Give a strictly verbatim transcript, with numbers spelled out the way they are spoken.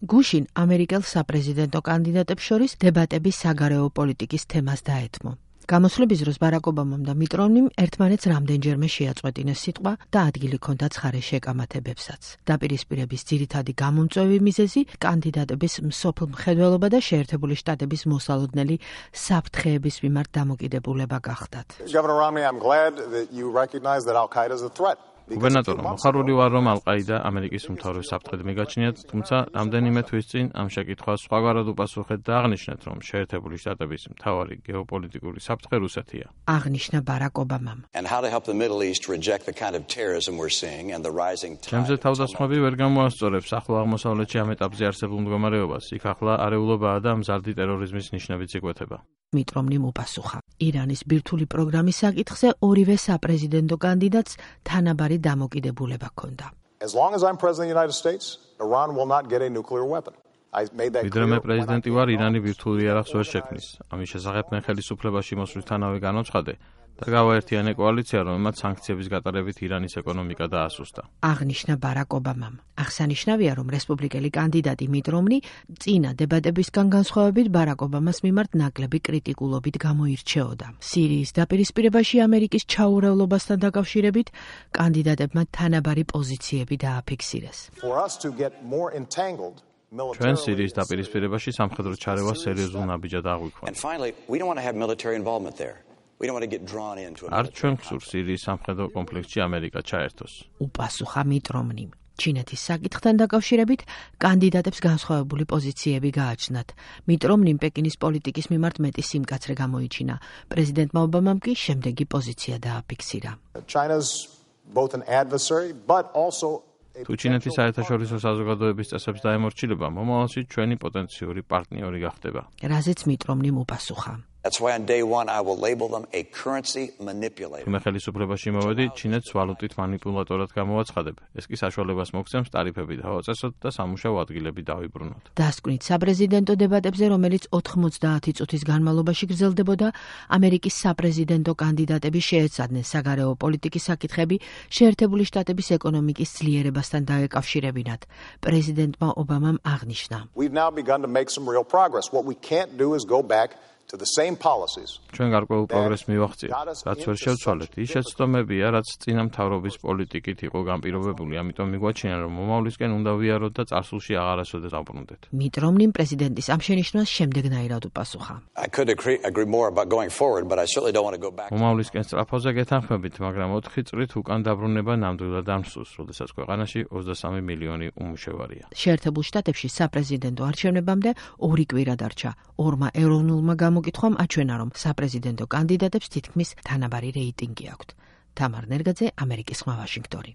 გუშინ ამერიკელ საპრეზიდენტო კანდიდატებს შორის დებატები საგარეო პოლიტიკის თემას დაეთმო. გამოსვლების დროს ბარაკ ობამამ და მიტ რომნიმ ერთმანეთს რამდენჯერმე შეაწყვეტინეს სიტყვა და ადგილი ჰქონდათ ცხარე შეკამათებებსაც. დაპირისპირების ძირითადი გამომწვევი მიზეზი კანდიდატების მსოფლ მხედველობა და შეერთებული შტატების მოსალოდნელი საფრთხეების მიმართ დამოკიდებულება გახდათ. გუბერნატორო, მოხარული ვარ, რომ ალ-ყაიდა ამერიკის უმთავრეს საფრთხედ მიგაჩნიათ, თუმცა რამდენიმე თვის წინ ამ შეკითხვას სხვაგვარად უპასუხეთ და აღნიშნეთ, რომ შეერთებული შტატების მთავარი გეოპოლიტიკური საფრთხე რუსეთია. აღნიშნა ბარაკ ობამამ. ჩემზე თავდასხმები ვერ გამოასწორებს ახლო აღმოსავლეთში ამ ეტაპზე არსებულ მდგომარეობას. იქ ახლა არეულობაა და მზარდი ტერორიზმის ნიშნებიც იკვეთება. მიტ რომნიმ უპასუხა. ირანის ბირთვული პროგრამის საკითხზე ორივე საპრეზიდენტო კანდიდატს თანაბარი დამოკიდებულება ჰქონდა. ვიდრე მე პრეზიდენტი ვარ, ირანი ბირთვული იარაღს ვერ შექმნის. ამის შესახებ მე ხელისუფლებაში მოსვლისთანავე განვცხადე და გავაერთიანე კოალიცია, რომელმაც სანქციების გატარებით ირანის ეკონომიკა დაასუსტა. აღნიშნა ბარაკ ობამამ. აღსანიშნავია, რომ რესპუბლიკელი კანდიდატი მიტ რომნი წინა დებატებისგან განსხვავებით ბარაკ ობამას მიმართ ნაკლები კრიტიკულობით გამოირჩეოდა. სირიის დაპირისპირებაში ამერიკის ჩაურევლობასთან დაკავშირებით კანდიდატებმა თანაბარი პოზიციები დააფიქსირეს. ჩვენ სირიის დაპირისპირებაში სამხედრო ჩარევა სერიოზულ ნაბიჯად აღვიქვამთ. არ ჩვენ გსურს სირიის სამხედრო კონფლიქტში ამერიკა ჩაერთოს. უპასუხა მიტ რომნიმ. ჩინეთის საკითხთან დაკავშირებით კანდიდატებს განსხვავებული პოზიციები გააჩნდათ. მიტ რომნიმ პეკინის პოლიტიკის მიმართ მეტი სიმკაცრე გამოიჩინა. პრეზიდენტმა ობამამ კი შემდეგი პოზიცია დააფიქსირა. თუ ჩინეთის საერთაშორისო საზოგადოების წესებს დაემორჩილება, მომავალში ჩვენი პოტენციური პარტნიორი გახდება. რაზეც მიტ რომნიმ უპასუხა. თუ მე ხელისუფლებაში მოვედი, ჩინეთს ვალუტით მანიპულატორად გამოვაცხადებ. ეს კი საშუალებას მოგცემს ტარიფები დავაწესოთ და სამუშაო ადგილები დავიბრუნოთ. დასკვნით საპრეზიდენტო დებატებზე, რომელიც ოთხმოცდაათი წუთის განმავლობაში გრძელდებოდა, ამერიკის საპრეზიდენტო კანდიდატები შეეცადნენ საგარეო პოლიტიკის საკითხები შეერთებული შტატების ეკონომიკის ძლიერებასთან დაეკავშირებინათ. პრეზიდენტმა ობამამ აღნიშნა. ჩვენ გარკვეულ პროგრესს მივახციეთ, რაც ვერ შევცვალეთ. ის შეცდომებია, რაც წინა მთავრობის პოლიტიკით იყო განპირობებული, ამიტომ მიგვაჩნია, რომ მომავლისკენ უნდა ვიაროთ და წარსულში აღარასოდეს დავბრუნდეთ. მიტ რომნიმ პრეზიდენტის ამ შენიშვნას შემდეგნაირად უპასუხა. მომავლისკენ სწრაფოზე გეთანხმებით, მაგრამ ოთხი წრით უკან დაბრუნება ნამდვილად არ მსურს, როდესაც ქვეყანაში ოცდასამი მილიონი უმუშევარია. შეერთებულ შტატებში საპრეზიდენტო არჩევნებამდე ორი კვირა დარჩა. ორმა ეროვნულმა გამოკითხვამ აჩვენა, რომ საპრეზიდენტო კანდიდატებს თითქმის თანაბარი რეიტინგი აქვთ. თამარ ნერგაძე, ამერიკის ხმა, ვაშინგტონი.